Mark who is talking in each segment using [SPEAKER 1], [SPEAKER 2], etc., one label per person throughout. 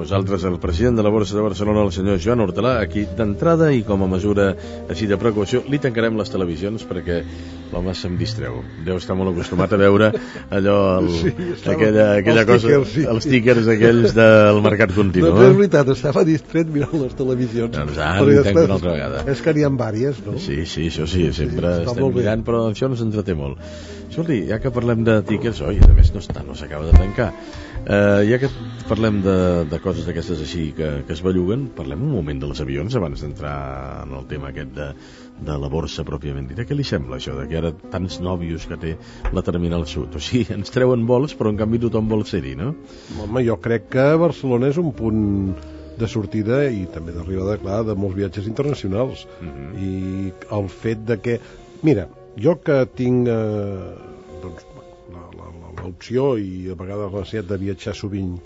[SPEAKER 1] Nosaltres el president de la Borsa de Barcelona, el senyor Joan Hortalà, aquí d'entrada i com a mesura així de precaució li tancarem les televisions perquè l'home se'm distreu. Deu estar molt acostumat a veure allò, aquella cosa, els tíquers aquells del mercat continu.
[SPEAKER 2] Doncs és veritat, estava distret mirant les televisions.
[SPEAKER 1] Doncs li tanco una altra vegada.
[SPEAKER 2] És que n'hi ha vàries, no?
[SPEAKER 1] Sí, això sí, sempre estem mirant, però això ens entreté molt. Escolti, ja que parlem de tíquers, a més no s'acaba de tancar. Ja que parlem de coses d'aquestes així que es belluguen, parlem un moment dels avions abans d'entrar en el tema aquest de la borsa pròpiament dita. Què li sembla això, que ara tants nòvios que té la Terminal Sud? O sigui, ens treuen vols, però en canvi tothom vol ser-hi, no?
[SPEAKER 2] Home, jo crec que Barcelona és un punt de sortida i també d'arribada, clar, de molts viatges internacionals. I el fet de que... Mira, jo que tinc l'opció i a vegades la necessitat de viatjar sovint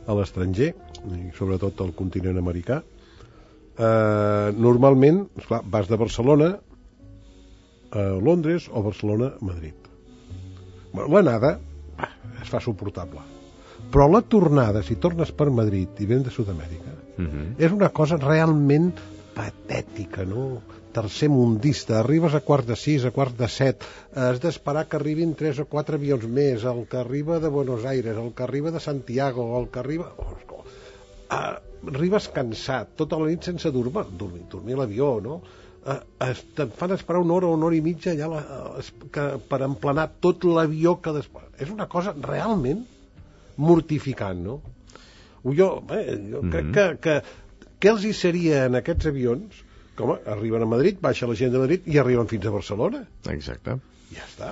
[SPEAKER 2] a l'estranger, i sobretot al continent americà, normalment, esclar, vas de Barcelona a Londres o Barcelona a Madrid. L'anada es fa suportable, però la tornada, si tornes per Madrid i vens de Sud-amèrica, és una cosa realment patètica, no? Tercer mundista, arribes a 5:15, a 5:45, has d'esperar que arribin 3 o 4 avions més, el que arriba de Buenos Aires, el que arriba de Santiago, el que arriba... arribes cansat, tota la nit sense dormir a l'avió, no? Te'n fan esperar una hora i mitja allà per emplenar tot l'avió que després... És una cosa realment mortificant, no? Jo crec que què els hi seria en aquests avions? Com arriben a Madrid, baixa la gent de Madrid i arriben fins a Barcelona.
[SPEAKER 1] Exacte.
[SPEAKER 2] Ja està.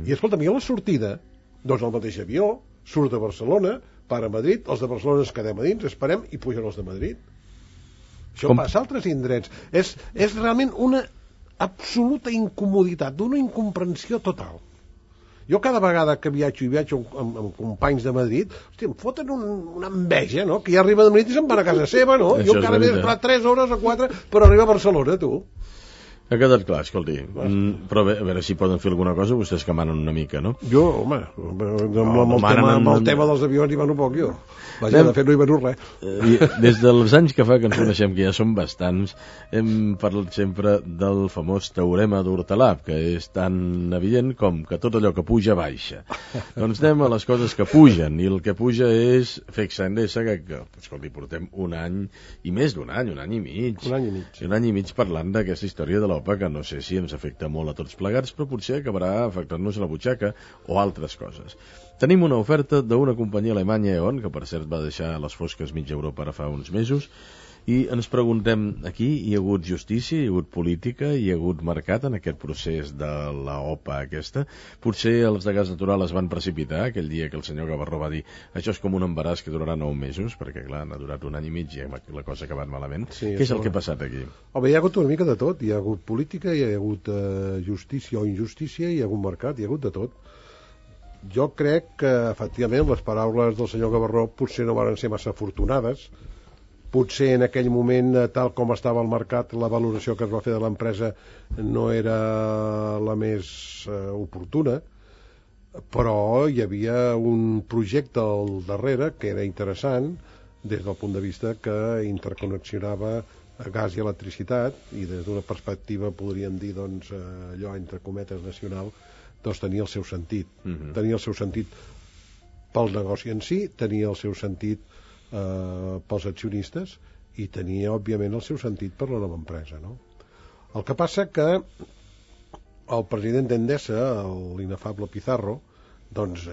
[SPEAKER 2] I escolta'm, i a la sortida, doncs el mateix avió surt de Barcelona, para a Madrid, els de Barcelona ens quedem a dins, esperem i pugen els de Madrid. Això passa a altres indrets. És realment una absoluta incomoditat, d'una incomprensió total. Jo cada vegada que viatjo amb companys de Madrid, hòstia, em foten una enveja, no? Que ja arriba de Madrid i se'n van a casa seva, no? Jo encara m'he d'esperar 3 hores o 4 per arribar a Barcelona, tu.
[SPEAKER 1] Ha quedat clar, escolti. Però a veure si poden fer alguna cosa vostès que manen una mica, no?
[SPEAKER 2] Jo, home, amb el tema dels avions hi mano poc, jo. Vaja, de fet no hi mano res.
[SPEAKER 1] Des dels anys que fa que ens coneixem, que ja són bastants, hem parlat sempre del famós teorema d'Hortalà, que és tan evident com que tot allò que puja baixa. Doncs anem a les coses que pugen, i el que puja és FECSA Endesa, que escolti, portem un any i més d'un any, un any i mig. Un any i mig parlant d'aquesta història de l'OPA, que no sé si ens afecta molt a tots plegats, però potser acabarà afectant-nos a la butxaca o altres coses. Tenim una oferta d'una companyia alemanya, E.ON, que per cert va deixar a les fosques mig Europa ara fa uns mesos, i ens preguntem, aquí hi ha hagut justícia, hi ha hagut política, hi ha hagut mercat en aquest procés de la OPA aquesta? Potser els de gas natural es van precipitar aquell dia que el senyor Gavarró va dir això és com un embaràs que durarà 9 mesos, perquè clar, n'ha durat un any i mig i la cosa ha acabat malament. Què és el que ha passat aquí?
[SPEAKER 2] Home, hi ha hagut una mica de tot, hi ha hagut política, hi ha hagut justícia o injustícia, hi ha hagut mercat, hi ha hagut de tot. Jo crec que, efectivament, les paraules del senyor Gavarró potser no van ser massa afortunades. Potser en aquell moment, tal com estava el mercat, la valoració que es va fer de l'empresa no era la més oportuna, però hi havia un projecte al darrere que era interessant des del punt de vista que interconnexionava gas i electricitat, i des d'una perspectiva, podríem dir, doncs, allò entre cometes nacional, doncs tenia el seu sentit. Tenia el seu sentit pel negoci en si, tenia el seu sentit pels accionistes i tenia, òbviament, el seu sentit per la nova empresa, no? El que passa que el president d'Endesa, l'inefable Pizarro, doncs,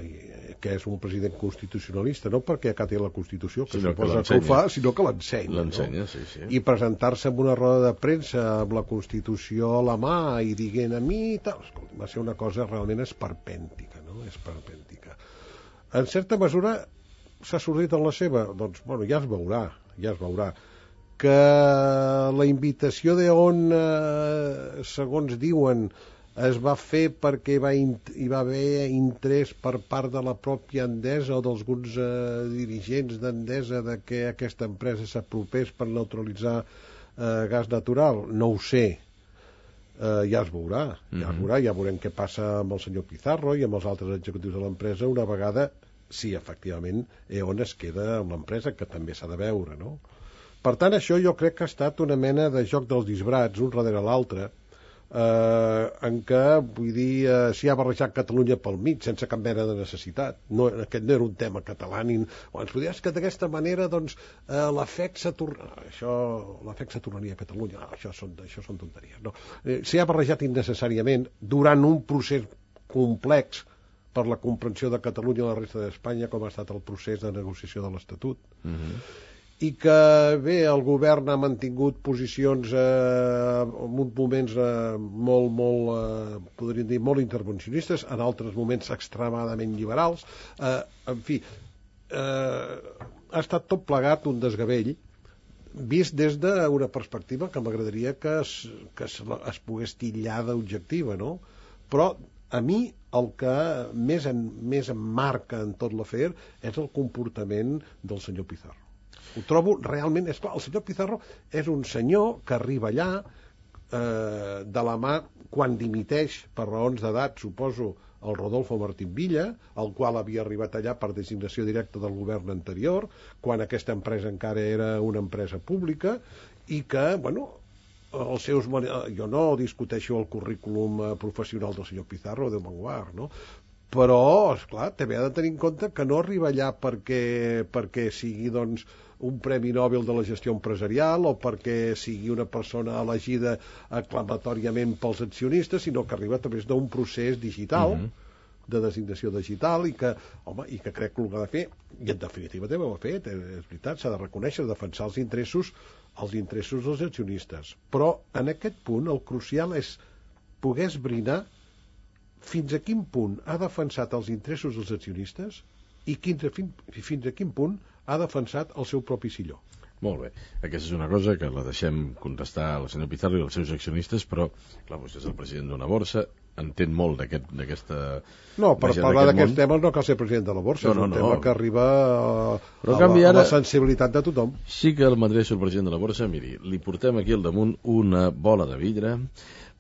[SPEAKER 2] que és un president constitucionalista, no perquè acati la Constitució, que suposa que ho fa, sinó que l'ensenya,
[SPEAKER 1] no?
[SPEAKER 2] Sí. I presentar-se en una roda de premsa amb la Constitució a la mà i dient a mi tal, va ser una cosa realment esperpèntica, no? Esperpèntica. En certa mesura s'ha sortit en la seva, doncs, bueno, ja es veurà. Que la invitació d'E.ON, segons diuen, es va fer perquè hi va haver interès per part de la pròpia Endesa o d'alguns dirigents d'Endesa de que aquesta empresa s'apropés per neutralitzar gas natural? No ho sé. Ja es veurà, ja veurem què passa amb el senyor Pizarro i amb els altres executius de l'empresa una vegada, si efectivament E.ON es queda amb l'empresa, que també s'ha de veure, no? Per tant, això jo crec que ha estat una mena de joc dels disbrats, un darrere l'altre, en què, vull dir, s'hi ha barrejat Catalunya pel mig, sense cap mena de necessitat. Aquest no era un tema català, ens podries que d'aquesta manera, doncs, l'afect s'atornaria a Catalunya. Això són tonteries, no? S'hi ha barrejat innecessàriament durant un procés complex per la comprensió de Catalunya i la resta d'Espanya, com ha estat el procés de negociació de l'Estatut. I que, bé, el govern ha mantingut posicions en uns moments podríem dir, molt intervencionistes, en altres moments extremadament liberals. En fi, ha estat tot plegat un desgavell, vist des d'una perspectiva que m'agradaria que es pogués titllar d'objectiva, no? Però a mi el que més em marca en tot l'afer és el comportament del senyor Pizarro. Ho trobo realment... És clar, el senyor Pizarro és un senyor que arriba allà de la mà, quan dimiteix per raons d'edat, suposo, el Rodolfo Martín Villa, el qual havia arribat allà per designació directa del govern anterior, quan aquesta empresa encara era una empresa pública, i que, bueno, jo no discuteixo el currículum professional del senyor Pizarro de Manguard, no? Però, esclar, també ha de tenir en compte que no arriba allà perquè sigui, doncs, un premi Nobel de la gestió empresarial o perquè sigui una persona elegida aclamatòriament pels accionistes, sinó que arriba a través d'un procés digital, de designació digital, i que crec que ho ha de fer, i en definitiva també ho ha fet, és veritat, s'ha de reconèixer, defensar els interessos dels accionistes. Però en aquest punt el crucial és poder esbrinar fins a quin punt ha defensat els interessos dels accionistes i fins a quin punt ha defensat el seu propi silló.
[SPEAKER 1] Molt bé. Aquesta és una cosa que la deixem contestar al senyor Pizarro i als seus accionistes, però, clar, vostè és el president d'una borsa, entén molt d'aquesta...
[SPEAKER 2] No, per parlar d'aquests temes no cal ser president de la borsa, és un tema que arriba a la sensibilitat de tothom.
[SPEAKER 1] Sí que el m'adreço al president de la borsa, miri, li portem aquí al damunt una bola de vidre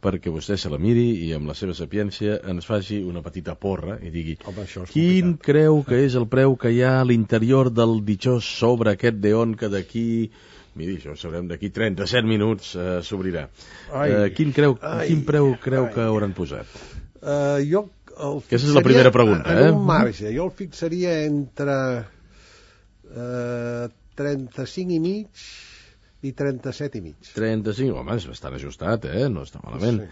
[SPEAKER 1] perquè vostè se la miri i amb la seva sapiència ens faci una petita porra i digui quin creu que és el preu que hi ha a l'interior del ditxós sobre aquest d'E.ON que d'aquí, miri, això ho sabrem, d'aquí 37 minuts s'obrirà. Quin preu creu que hauran posat? Aquesta és la primera pregunta.
[SPEAKER 2] En un marge, jo el fixaria entre 35 i mig i 37 i mig.
[SPEAKER 1] 35, home, és bastant ajustat, no està malament. Sí.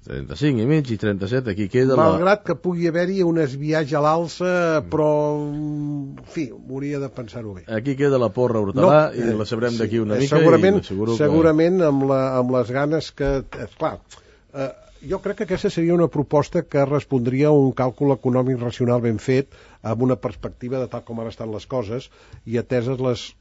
[SPEAKER 1] 35 i mig i 37, aquí queda
[SPEAKER 2] malgrat que pugui haver-hi un esbiaix a l'alça, però, en fi, hauria de pensar-ho bé.
[SPEAKER 1] Aquí queda la porra Hortalà i la sabrem d'aquí una mica.
[SPEAKER 2] Segurament amb les ganes que... Esclar, jo crec que aquesta seria una proposta que respondria a un càlcul econòmic racional ben fet, amb una perspectiva de tal com ara estan les coses, i ateses les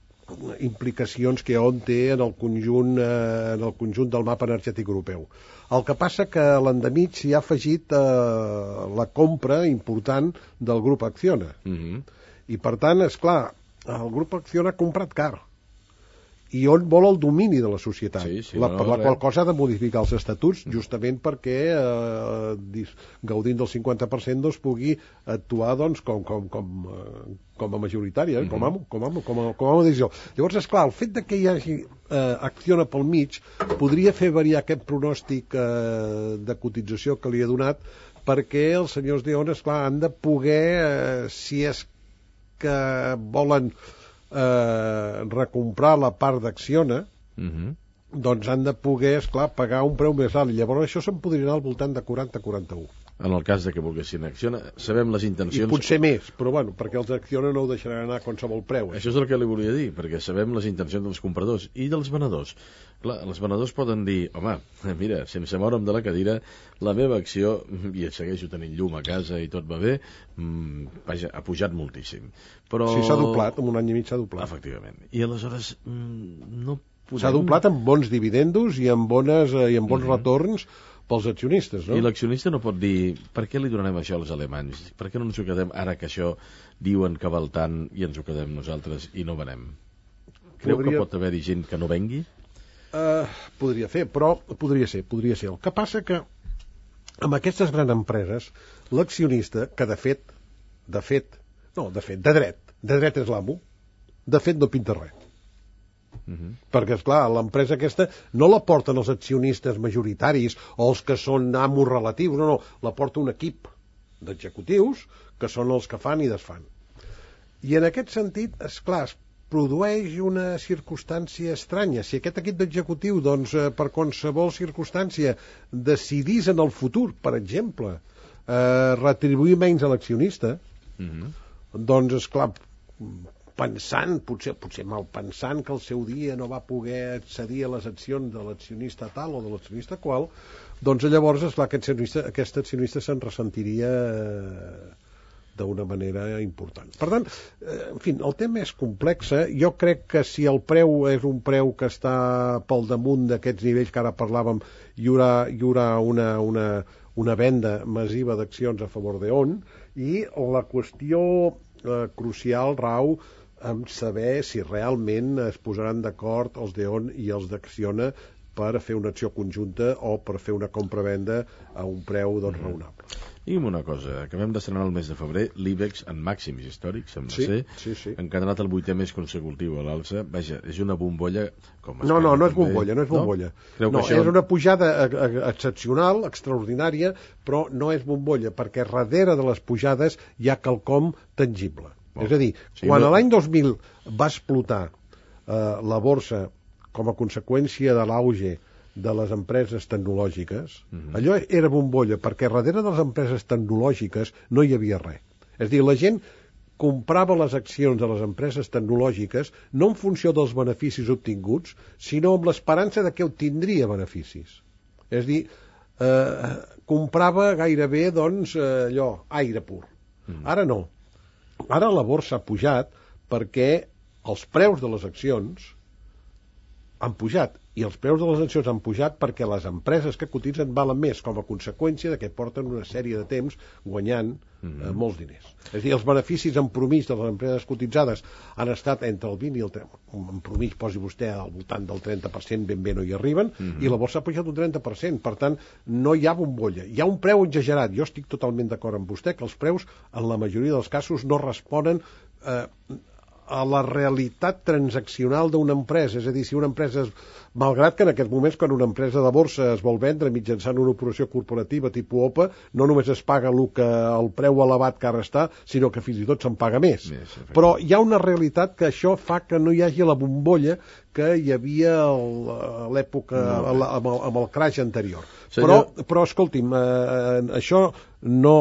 [SPEAKER 2] implicacions que EON té en el conjunt del mapa energètic europeu. El que passa que a l'endemig s'hi ha afegit la compra important del grup Acciona. I per tant, esclar, el grup Acciona ha comprat car. I on vol el domini de la societat, per la qual cosa ha de modificar els estatuts, justament perquè gaudint del 50% doncs, pugui actuar doncs, com a majoritària, com a decisió. Llavors, esclar, el fet que hi hagi Acciona pel mig podria fer variar aquest pronòstic de cotització que li ha donat, perquè els senyors d'EON, esclar, han de poder, si és que volen recomprar la part d'Acciona, doncs han de poder, esclar, pagar un preu més alt, i llavors això se'n podria anar al voltant de 40-41.
[SPEAKER 1] En el cas de que volguessin Acciona, sabem les intencions...
[SPEAKER 2] I potser més, però bueno, perquè els Acciona no ho deixaran anar a qualsevol preu.
[SPEAKER 1] Això és el que li volia dir, perquè sabem les intencions dels compradors i dels venedors. Clar, els venedors poden dir, home, mira, sense moure'm de la cadira, la meva acció, i segueixo tenint llum a casa i tot va bé, vaja, ha pujat moltíssim. Però...
[SPEAKER 2] Sí, s'ha doblat, en un any i mig s'ha doblat.
[SPEAKER 1] Efectivament. I aleshores no podem...
[SPEAKER 2] S'ha doblat amb bons dividendos i amb bons retorns, pels accionistes, no?
[SPEAKER 1] I l'accionista no pot dir per què li donarem això als alemanys? Per què no ens ho quedem ara que això diuen que val tant i ens ho quedem nosaltres i no venem? Creu que pot haver-hi gent que no vengui?
[SPEAKER 2] Podria ser. El que passa que amb aquestes grans empreses l'accionista, que de dret és l'amo, de fet no pinta res. Perquè, esclar, l'empresa aquesta no la porten els accionistes majoritaris o els que són amos relatius, no, la porta un equip d'executius que són els que fan i desfan. I en aquest sentit, esclar, es produeix una circumstància estranya. Si aquest equip d'executiu, doncs, per qualsevol circumstància decidís en el futur, per exemple, retribuir menys a l'accionista, doncs, esclar, pensant, potser mal pensant que el seu dia no va poder accedir a les accions de l'accionista tal o de l'accionista qual, doncs llavors, esclar, aquest accionista se'n ressentiria d'una manera important. Per tant, en fi, el tema és complex. Jo crec que si el preu és un preu que està pel damunt d'aquests nivells que ara parlàvem, hi haurà una venda massiva d'accions a favor d'E.ON, i la qüestió crucial rau en saber si realment es posaran d'acord els d'E.ON i els d'Acciona per fer una acció conjunta o per fer una compra-venda a un preu raonable.
[SPEAKER 1] Digue'm una cosa, acabem d'estrenar el mes de febrer l'IBEX en màxims històrics, sembla ser, encadenat el 8è mes consecutiu a l'alça. Vaja, és una bombolla com
[SPEAKER 2] no és bombolla. No, és una pujada excepcional, extraordinària, però no és bombolla, perquè darrere de les pujades hi ha quelcom tangible. És a dir, quan l'any 2000 va explotar la borsa com a conseqüència de l'auge de les empreses tecnològiques, allò era bombolla, perquè darrere de les empreses tecnològiques no hi havia res. És a dir, la gent comprava les accions de les empreses tecnològiques no en funció dels beneficis obtinguts, sinó amb l'esperança de que obtindria beneficis. És a dir, comprava gairebé, doncs, aire pur. Ara no. Ara la borsa ha pujat perquè els preus de les accions han pujat, i els preus de les accions han pujat perquè les empreses que cotitzen valen més, com a conseqüència de que porten una sèrie de temps guanyant molts diners. És a dir, els beneficis en promís de les empreses cotitzades han estat entre el 20 i el 30%, en promís posi vostè al voltant del 30%, ben bé no hi arriben, i la borsa ha pujat un 30%, per tant, no hi ha bombolla. Hi ha un preu exagerat, jo estic totalment d'acord amb vostè, que els preus, en la majoria dels casos, no responen a la realitat transaccional d'una empresa. És a dir, si una empresa, malgrat que en aquests moments quan una empresa de borsa es vol vendre mitjançant una operació corporativa tipus OPA, no només es paga el preu elevat que ara està, sinó que fins i tot se'n paga més. Però hi ha una realitat que això fa que no hi hagi la bombolla que hi havia a l'època, amb el crash anterior. Però escolti'm, això no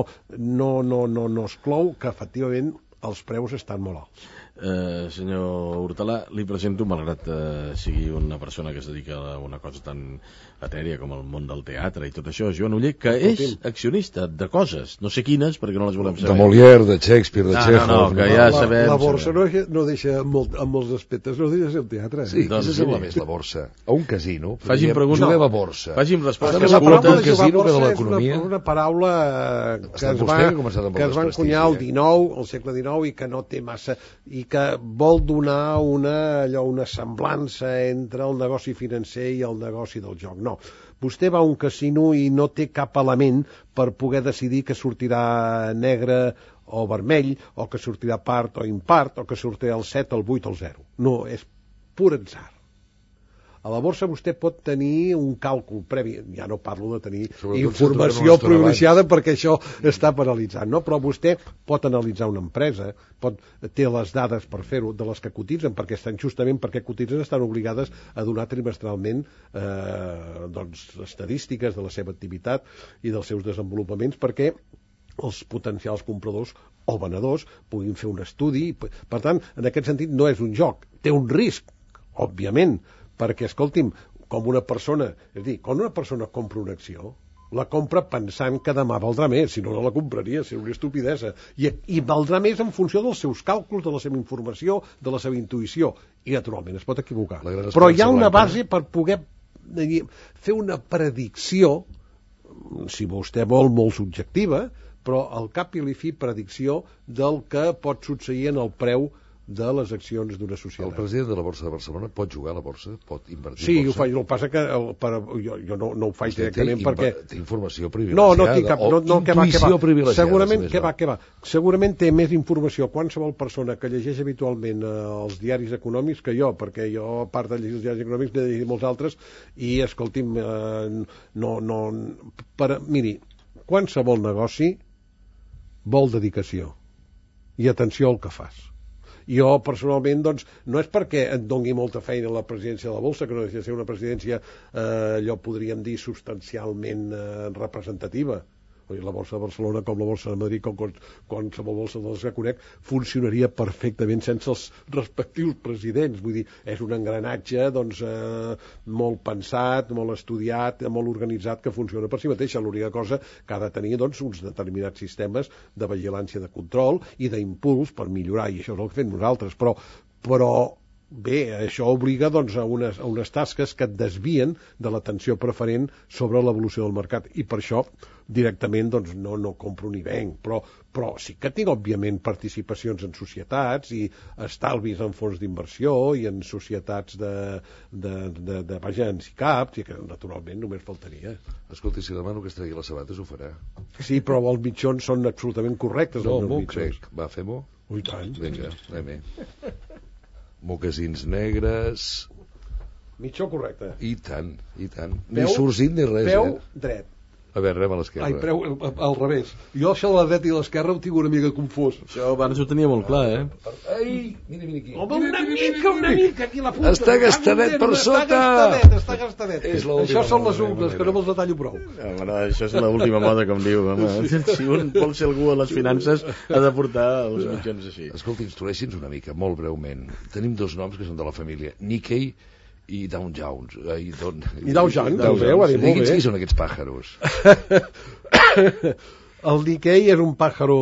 [SPEAKER 2] exclou que efectivament els preus estan molt alts.
[SPEAKER 1] Senyor Hortalà, li presento, malgrat sigui una persona que es dedica a una cosa tan etèria com el món del teatre i tot això, Joan Oller, que és accionista de coses, no sé quines, perquè no les volem saber.
[SPEAKER 3] De Molière, de Shakespeare, de Chekhov...
[SPEAKER 1] que ja sabem...
[SPEAKER 2] La borsa no deixa en molts aspectes, no deixa ser el teatre.
[SPEAKER 3] Sí, doncs què sembla més la borsa? A un casino?
[SPEAKER 1] Facin pregunta.
[SPEAKER 3] Juguem a borsa.
[SPEAKER 1] Facin respostes
[SPEAKER 2] curtes. La paraula
[SPEAKER 3] de casino que de l'economia.
[SPEAKER 2] És una paraula que es va encunyar al segle XIX, i que no té massa... i que vol donar una semblança entre el negoci financer i el negoci del joc. No, vostè va a un casino i no té cap element per poder decidir que sortirà negre o vermell, o que sortirà part o impart, o que sortirà el 7, el 8 o el 0. No, és pur atzar. A la borsa vostè pot tenir un càlcul previ, ja no parlo de tenir informació privilegiada perquè això està paralitzant, no? Però vostè pot analitzar una empresa, té les dades per fer-ho, de les que cotitzen, perquè estan justament perquè cotitzen estan obligades a donar trimestralment estadístiques de la seva activitat i dels seus desenvolupaments, perquè els potencials compradors o venedors puguin fer un estudi. Per tant, en aquest sentit no és un joc, té un risc, òbviament, perquè, escolti'm, com una persona, és a dir, quan una persona compra una acció, la compra pensant que demà valdrà més, si no la compraria, seria una estupidesa, i valdrà més en funció dels seus càlculs, de la seva informació, de la seva intuïció, i naturalment es pot equivocar. Però hi ha una base per poder fer una predicció si vostè vol, molt subjectiva, però al cap i a la fi predicció del que pot succeir en el preu de les accions d'una societat.
[SPEAKER 3] El president de la Borsa de Barcelona pot jugar a la borsa? Pot invertir
[SPEAKER 2] sí,
[SPEAKER 3] en borsa?
[SPEAKER 2] ho faig, el que passa que jo no ho faig directament perquè...
[SPEAKER 3] Té informació privilegiada?
[SPEAKER 2] No tinc cap...
[SPEAKER 3] Intuïció privilegiada?
[SPEAKER 2] Segurament, què va. Segurament té més informació qualsevol persona que llegeix habitualment els diaris econòmics que jo, perquè jo, a part de llegir els diaris econòmics, n'he de llegir molts altres, i, escolti'm, miri, qualsevol negoci vol dedicació i atenció al que fas. Jo, personalment, doncs, no és perquè et dongui molta feina a la presidència de la Borsa, que no deixa de ser una presidència, allò podríem dir, substancialment representativa. La Borsa de Barcelona, com la Borsa de Madrid, com qualsevol borsa de les que conec, funcionaria perfectament sense els respectius presidents. Vull dir, és un engranatge doncs, molt pensat, molt estudiat, molt organitzat, que funciona per si mateixa. L'única cosa que ha de tenir doncs, uns determinats sistemes de vigilància, de control i d'impuls per millorar, i això és el que fem nosaltres. Però bé, això obliga doncs, a unes tasques que et desvien de l'atenció preferent sobre l'evolució del mercat, i per això directament doncs, no compro ni venc, però sí que tinc òbviament participacions en societats i estalvis en fons d'inversió i en societats vaja, en SICAPs, i que naturalment només faltaria.
[SPEAKER 3] Escolti, si demano que es tregui les sabates ho farà.
[SPEAKER 2] Sí, però els mitjons són absolutament correctes.
[SPEAKER 3] No, m'ho crec. Va, fem-ho?
[SPEAKER 2] Ui, tant.
[SPEAKER 3] Vinga, anem-hi. Mocasins negres...
[SPEAKER 2] Mitjó correcte.
[SPEAKER 3] I tant. Ni sorgit ni res,
[SPEAKER 2] peu dret.
[SPEAKER 3] A veure, rem a l'esquerra.
[SPEAKER 2] Ai, preu al revés. Jo això de la dreta i l'esquerra ho tinc una mica confós.
[SPEAKER 1] Això abans ho tenia molt clar,
[SPEAKER 3] Ai, mira aquí.
[SPEAKER 2] Home, una mica, aquí la punta.
[SPEAKER 3] Està gastadet per sota.
[SPEAKER 2] Està gastadet.
[SPEAKER 3] Això
[SPEAKER 2] són les ungles, que no me'ls detallo prou.
[SPEAKER 1] No, això és l'última moda, com diu. Home. Si un vol ser algú a les finances, ha de portar els mitjons així.
[SPEAKER 3] Escolta, instrueixi'ns una mica, molt breument. Tenim dos noms que són de la família, Nikkei i Dow Jones.
[SPEAKER 2] I Dow Jones, ho dit molt bé.
[SPEAKER 3] Digui'ns qui són aquests pàjaros.
[SPEAKER 2] El Nikkei és un pàjaro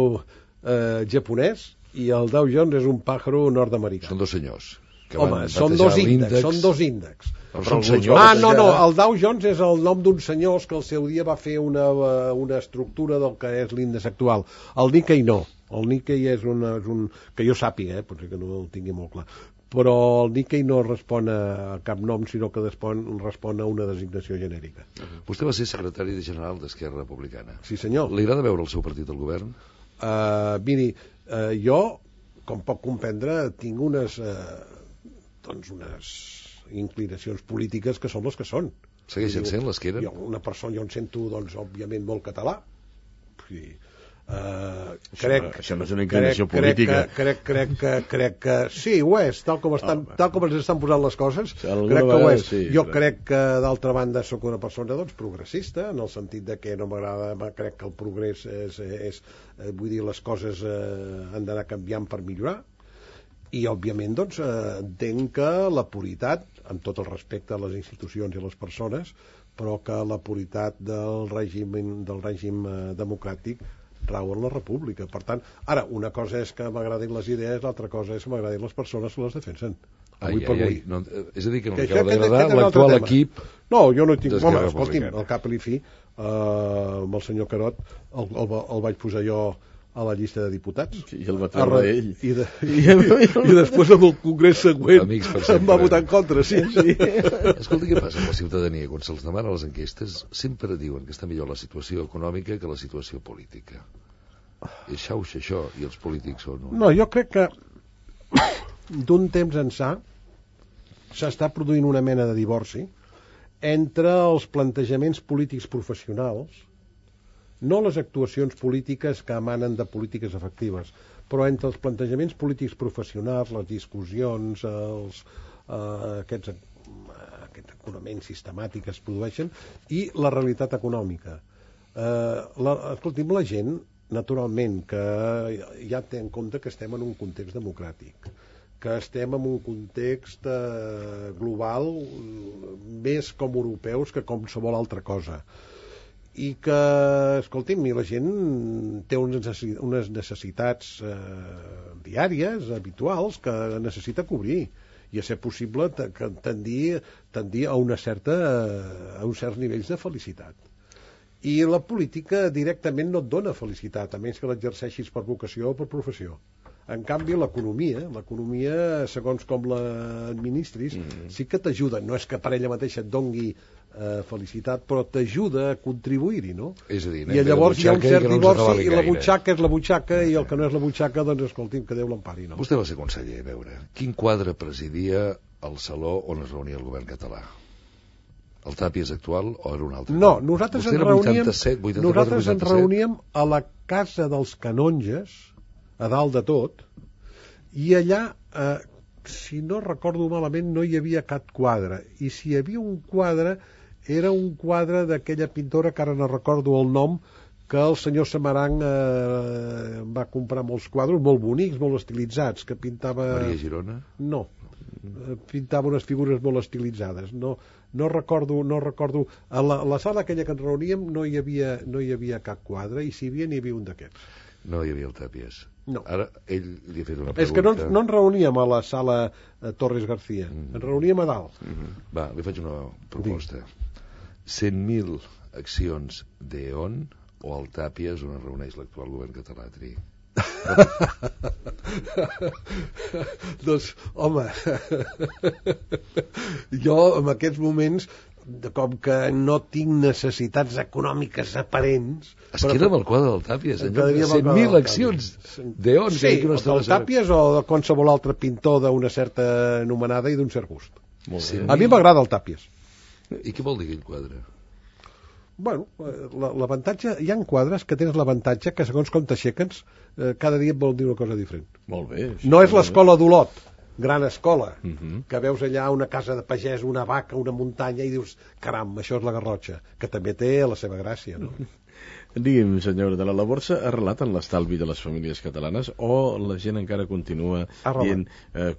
[SPEAKER 2] japonès i el Dow Jones és un pàjaro nord-americà.
[SPEAKER 3] Són dos senyors.
[SPEAKER 2] Home, són dos índexs.
[SPEAKER 3] Són senyors.
[SPEAKER 2] No, el Dow Jones és el nom d'uns senyors que al seu dia va fer una estructura del que és l'índex actual. El Nikkei no. El Nikkei és un... que jo sàpiga, potser que no el tingui molt clar, però el Nikkei no respon a cap nom, sinó que respon a una designació genèrica.
[SPEAKER 3] Vostè va ser secretari general d'Esquerra Republicana.
[SPEAKER 2] Sí, senyor.
[SPEAKER 3] Li agrada veure el seu partit al govern?
[SPEAKER 2] Miri, jo, com pot comprendre, tinc unes inclinacions polítiques que són les que són.
[SPEAKER 3] Segueixen sent les que eren?
[SPEAKER 2] Jo em sento, doncs, òbviament, molt català. Sí.
[SPEAKER 1] Això no és una inclinació política.
[SPEAKER 2] Crec que sí, ho és, tal com ens estan posant les coses, crec que ho és. Jo crec que, d'altra banda, sóc una persona doncs, progressista, en el sentit de que no m'agrada, crec que el progrés és vull dir, les coses han d'anar canviant per millorar, i òbviament doncs, entenc que la puritat, amb tot el respecte a les institucions i a les persones, però que la puritat del règim democràtic rau en la república. Per tant, ara, una cosa és que m'agradin les idees, l'altra cosa és que m'agradin les persones que les defensen.
[SPEAKER 3] No, és a dir, que no li acaba d'agradar l'actual equip.
[SPEAKER 2] No, jo no tinc... Home, escolti'm, al cap i fi, amb el senyor Carot el vaig posar jo a la llista de diputats.
[SPEAKER 1] I el va treure ell.
[SPEAKER 2] I després amb el congrés següent em va votar en contra, sí.
[SPEAKER 3] Escolta, què passa amb la ciutadania? Quan se'ls demana les enquestes, sempre diuen que està millor la situació econòmica que la situació política. És xauxa, això, i els polítics són...
[SPEAKER 2] No, jo crec que d'un temps ençà s'està produint una mena de divorci entre els plantejaments polítics professionals, no les actuacions polítiques que emanen de polítiques efectives, però entre els plantejaments polítics professionals, les discussions, aquests econaments sistemàtics que es produeixen, i la realitat econòmica. Escolti'm, la gent, naturalment, que ja té en compte que estem en un context democràtic, que estem en un context global més com europeus que com qualsevol altra cosa, i que, escolti'm, la gent té unes necessitats diàries, habituals, que necessita cobrir, i a ser possible tendir a uns certs nivells de felicitat. I la política directament no et dona felicitat, a menys que l'exerceixis per vocació o per professió. En canvi, l'economia, segons com l'administris, sí que t'ajuda. No és que per ella mateixa et dongui felicitat, però t'ajuda a contribuir-hi, no?
[SPEAKER 3] És a dir,
[SPEAKER 2] I llavors hi ha un cert divorci, i la butxaca és la butxaca, i el que no és la butxaca, doncs escolti'm, que Déu l'empari, no?
[SPEAKER 3] Vostè va ser conseller, a veure, quin quadre presidia el saló on es reunia el govern català? El Tàpies actual o era un altre?
[SPEAKER 2] No, nosaltres ens reuníem a la Casa dels Canonges, a dalt de tot, i allà, si no recordo malament, no hi havia cap quadre. I si hi havia un quadre, era un quadre d'aquella pintora, que ara no recordo el nom, que el senyor Samarang va comprar molts quadres, molt bonics, molt estilitzats, que pintava...
[SPEAKER 3] Maria Girona?
[SPEAKER 2] No, pintava unes figures molt estilitzades. No recordo. A la sala aquella que ens reuníem no hi havia cap quadre, i si hi havia un d'aquests.
[SPEAKER 3] No hi havia el Tàpies.
[SPEAKER 2] No.
[SPEAKER 3] Ara ell li ha fet una pregunta.
[SPEAKER 2] És que no ens reuníem a la sala Torres García, ens reuníem a dalt.
[SPEAKER 3] Va, li faig una proposta. 100.000 accions d'E.ON o el Tàpies on es reuneix l'actual govern català, Tri?
[SPEAKER 2] Doncs, home, jo en aquests moments, com que no tinc necessitats econòmiques aparents...
[SPEAKER 3] Es queda amb el quadre del Tàpies, 100.000 accions d'E.ON.
[SPEAKER 2] Sí, del Tàpies o de qualsevol altre pintor d'una certa anomenada i d'un cert gust. A mi m'agrada el Tàpies.
[SPEAKER 3] I què vol dir aquell quadre?
[SPEAKER 2] Bueno, l'avantatge... Hi ha quadres que tens l'avantatge que, segons com t'aixequen, cada dia et vol dir una cosa diferent.
[SPEAKER 1] Molt bé.
[SPEAKER 2] No és l'escola d'Olot, gran escola, que veus allà una casa de pagès, una vaca, una muntanya, i dius, caram, això és la Garrotxa, que també té la seva gràcia, no?
[SPEAKER 1] Digui'm, senyor, de la borsa ha arrelat en l'estalvi de les famílies catalanes o la gent encara continua dient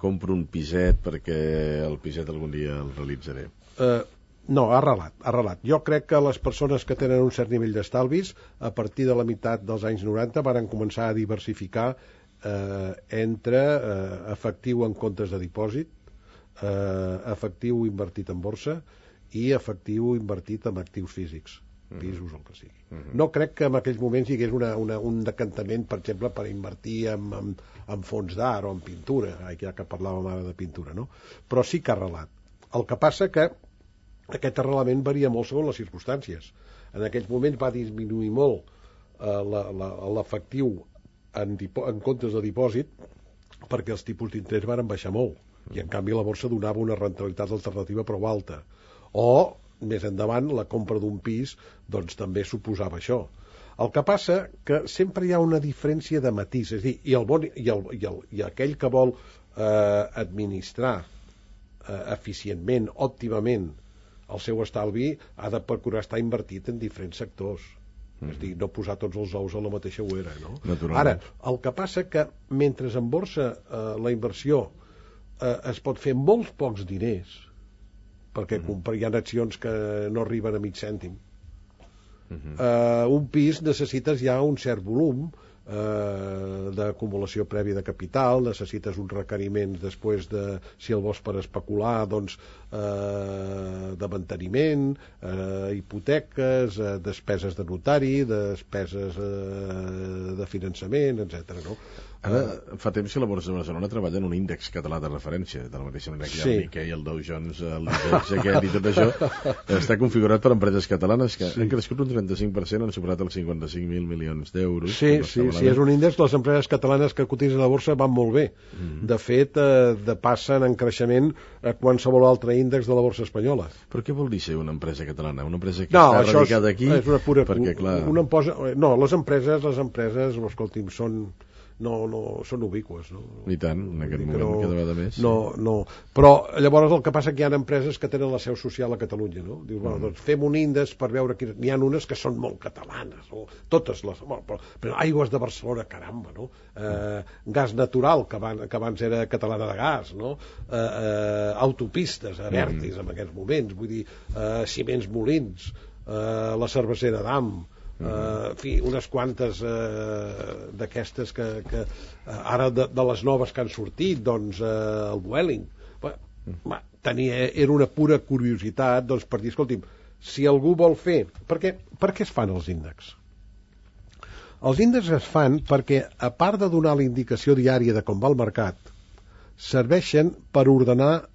[SPEAKER 1] compro un piset perquè el piset algun dia el realitzaré?
[SPEAKER 2] No, ha arrelat. Jo crec que les persones que tenen un cert nivell d'estalvis, a partir de la meitat dels anys 90, varen començar a diversificar entre efectiu en comptes de dipòsit, efectiu invertit en borsa i efectiu invertit en actius físics, pisos o el que sigui. No crec que en aquells moments hi hagués un decantament, per exemple, per invertir en fons d'art o en pintura, ja que parlàvem ara de pintura, no? Però sí que ha arrelat. El que passa que aquest arrelament varia molt segons les circumstàncies. En aquells moments va disminuir molt l'efectiu en comptes de dipòsit, perquè els tipus d'interès varen baixar molt, i en canvi la borsa donava una rendibilitat alternativa prou alta. O, més endavant, la compra d'un pis doncs també suposava això. El que passa que sempre hi ha una diferència de matís, és a dir, i aquell que vol administrar eficientment, òptimament, el seu estalvi ha de procurar estar invertit en diferents sectors. És a dir, no posar tots els ous a la mateixa ouera, no? Ara, el que passa que mentre en borsa la inversió es pot fer molts pocs diners, perquè hi ha accions que no arriben a mig cèntim, un pis necessites ja un cert volum d'acumulació prèvia de capital, necessites uns requeriments després de, si el vols per especular, doncs de manteniment, hipoteques, despeses de notari, despeses de finançament, etc. No?
[SPEAKER 1] Ara, fa temps que la Borsa de Barcelona treballa en un índex català de referència, de la mateixa manera que hi ha el Nikkei, el Dow Jones, l'índex aquest i tot això, està configurat per empreses catalanes que han crescut un 35%, han superat els 55.000 milions d'euros.
[SPEAKER 2] Sí, és un índex, les empreses catalanes que cotitzen a la borsa van molt bé. De fet, passen en creixement a qualsevol altre índex de la borsa espanyola.
[SPEAKER 1] Però què vol dir ser una empresa catalana? Una empresa que està radicada aquí?
[SPEAKER 2] És una pura...
[SPEAKER 1] Perquè, clar...
[SPEAKER 2] No, les empreses, escolti'm, són ubiqües, no?
[SPEAKER 1] I tant, en aquest moment cada vegada més.
[SPEAKER 2] No, però llavors el que passa que hi ha empreses que tenen la seu social a Catalunya, no? Dius, bueno, doncs fem un índex per veure quines... N'hi ha unes que són molt catalanes, no? Totes les... Però Aigües de Barcelona, caramba, no? Gas Natural, que abans era catalana de gas, no? Autopistes, Abertis, en aquests moments, vull dir, Ciments Molins, la Cervesera d'Am, en fi, unes quantes d'aquestes que ara de les noves que han sortit, doncs el Vueling era una pura curiositat, doncs, per dir, escolti'm, si algú vol fer... Per què es fan els índexs? Els índexs es fan perquè, a part de donar la indicació diària de com va el mercat, serveixen per ordenar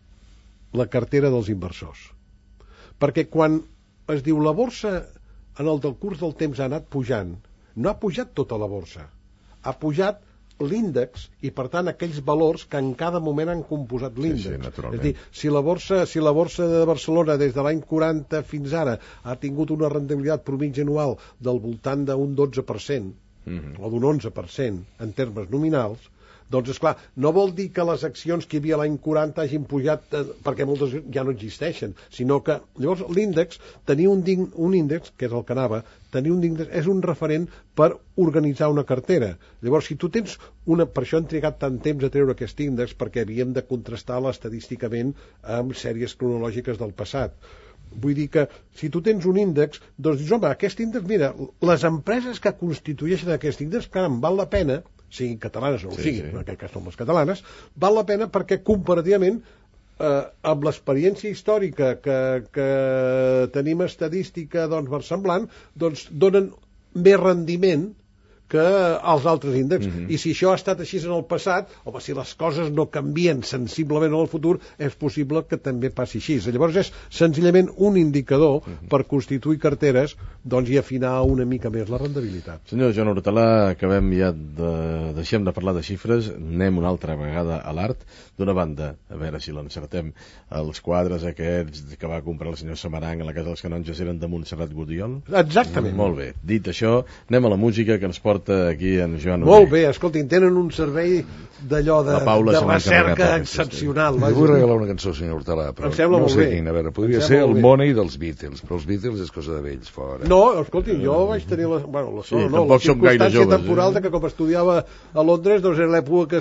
[SPEAKER 2] la cartera dels inversors. Perquè quan es diu la borsa en el del curs del temps ha anat pujant, no ha pujat tota la borsa, ha pujat l'índex i, per tant, aquells valors que en cada moment han composat l'índex.
[SPEAKER 1] Sí,
[SPEAKER 2] és a dir, si la borsa de Barcelona des de l'any 40 fins ara ha tingut una rendibilitat promitja anual del voltant d'un 12%, o d'un 11% en termes nominals, doncs, esclar, no vol dir que les accions que hi havia l'any 40 hagin pujat perquè moltes ja no existeixen, sinó que llavors l'índex, tenir un índex, que és el que anava, tenir un índex és un referent per organitzar una cartera. Llavors, si tu tens per això hem trigat tant temps a treure aquest índex, perquè havíem de contrastar-la estadísticament amb sèries cronològiques del passat. Vull dir que si tu tens un índex, doncs dius, home, aquest índex, mira, les empreses que constitueixen aquest índex, caram, val la pena, siguin catalanes o no siguin, en aquest cas són les catalanes, val la pena perquè comparativament amb l'experiència històrica que tenim estadística doncs versemblant, doncs donen més rendiment que els altres índexs. I si això ha estat així en el passat, home, si les coses no canvien sensiblement en el futur, és possible que també passi així. Llavors és senzillament un indicador per constituir carteres, doncs, i afinar una mica més la rendibilitat.
[SPEAKER 1] Senyor Joan Hortalà, acabem ja deixem de parlar de xifres, anem una altra vegada a l'art. D'una banda, a veure si l'encertem, els quadres aquests que va comprar el senyor Samaranc a la Casa dels Canonges eren de Montserrat Gudiol?
[SPEAKER 2] Exactament.
[SPEAKER 1] Molt bé. Dit això, anem a la música que ens porta aquí en Joan
[SPEAKER 2] Molt bé, escoltin, tenen un servei d'allò de recerca excepcional.
[SPEAKER 3] Li vull regalar una cançó, senyor Hortalà, però no sé quina. A veure, podria ser el Money dels Beatles, però els Beatles és cosa de vells, fora.
[SPEAKER 2] No, escoltin, jo vaig tenir la
[SPEAKER 1] circumstància
[SPEAKER 2] temporal que com estudiava a Londres, doncs era l'època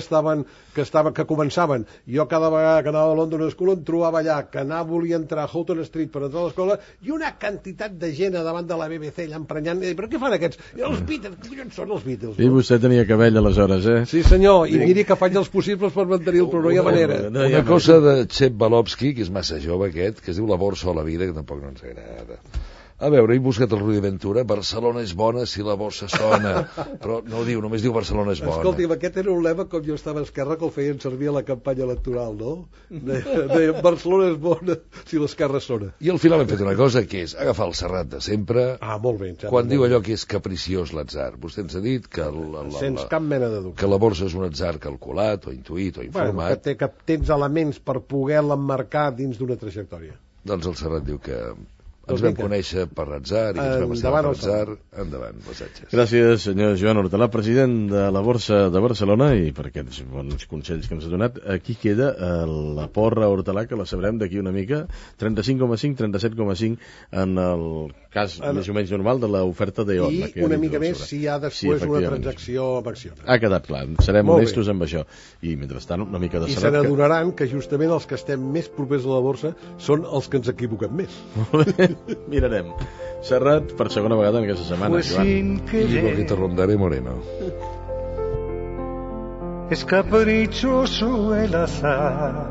[SPEAKER 2] que començaven. Jo cada vegada que anava a London School em trobava allà, que volia entrar a Houghton Street per entrar a l'escola, i una quantitat de gent davant de la BBC allà emprenyant, però què fan aquests? Els Beatles, què collons són els Beatles?
[SPEAKER 1] I vostè tenia cabell aleshores, eh?
[SPEAKER 2] Sí senyor, i miri que faig els possibles per mantenir-lo, però no hi ha manera.
[SPEAKER 3] Una cosa de Chep Balowski, que és massa jove aquest, que es diu La borsa o la vida, que tampoc no ens agrada. A veure, he buscat el Rudi Ventura, Barcelona és bona si la borsa sona, però no ho diu, només diu Barcelona és bona.
[SPEAKER 2] Escolti, aquest era un lema com jo estava a Esquerra, que el feien servir a la campanya electoral, no? Deia, Barcelona és bona si l'Esquerra sona.
[SPEAKER 3] I al final hem fet una cosa, que és agafar el Serrat de sempre.
[SPEAKER 2] Molt bé.
[SPEAKER 3] Quan diu allò que és capriciós l'atzar. Vostè ens ha dit que
[SPEAKER 2] sense cap mena de dubte.
[SPEAKER 3] Que la borsa és un atzar calculat, o intuït, o informat.
[SPEAKER 2] Que tens elements per poder-la emmarcar dins d'una trajectòria.
[SPEAKER 3] Doncs el Serrat diu que ens vam conèixer per atzar i ens vam estar per atzar. Endavant, passatges.
[SPEAKER 1] Gràcies, senyor Joan Hortalà, president de la Borsa de Barcelona, i per aquests bons consells que ens ha donat. Aquí queda la porra Hortalà, que la sabrem d'aquí una mica, 35,5, 37,5 en el cas més o menys normal de l'oferta d'EON.
[SPEAKER 2] I una mica més si hi ha després una transacció amb accions.
[SPEAKER 1] Ha quedat clar, serem honestos amb això. I mentrestant una mica de
[SPEAKER 2] salat. I se n'adonaran que justament els que estem més propers a la borsa són els que ens equivoquem més.
[SPEAKER 1] Molt bé. Mirarem. Serrat per segona vegada en aquesta setmana, Joan.
[SPEAKER 3] Y Boquita Rondaré Moreno.
[SPEAKER 4] Es caprichoso el azar.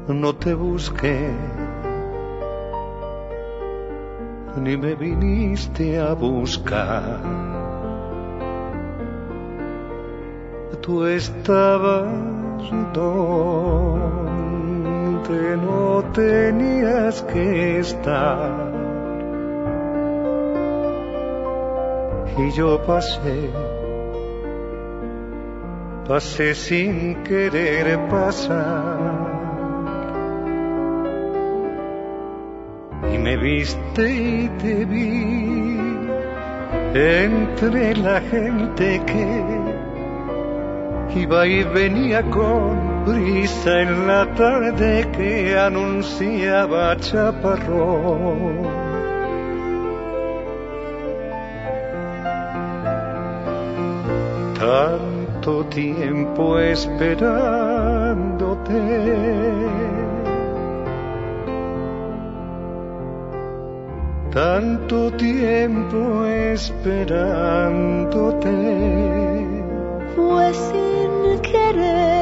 [SPEAKER 4] No te busqué, ni me viniste a buscar. Tú estabas donde no tenías que estar, y yo pasé sin querer pasar, y me viste y te vi entre la gente que iba y venía con brisa en la tarde que anunciaba chaparrón. Tanto tiempo esperándote, tanto tiempo esperándote, fue sin querer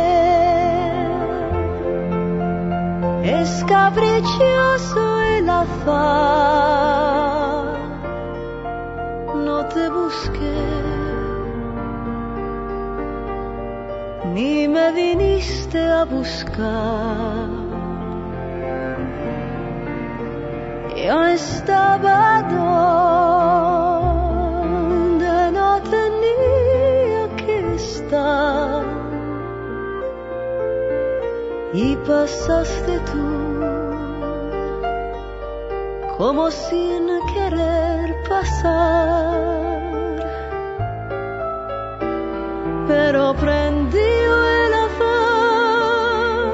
[SPEAKER 5] Es caprichoso el azar, no te busqué, ni me viniste a buscar. Yo estaba donde no tenía que estar y pasaste tú como sin querer pasar, pero prendió el azar,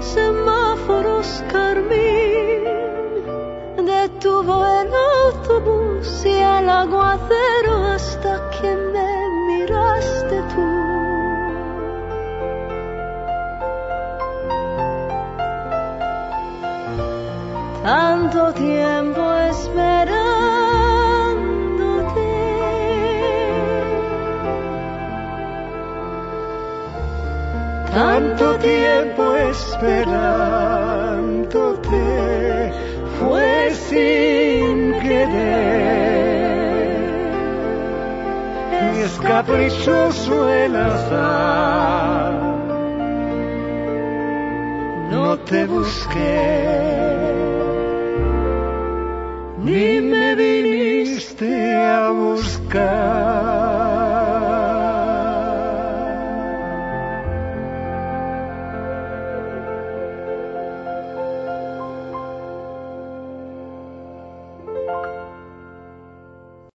[SPEAKER 5] semáforos carmín, detuvo el autobús y el aguacero hasta que me miraste tú. Tanto tiempo esperándote, tanto tiempo esperándote, fue sin querer. Es caprichoso el azar, no te busqué, ni me viniste a buscar.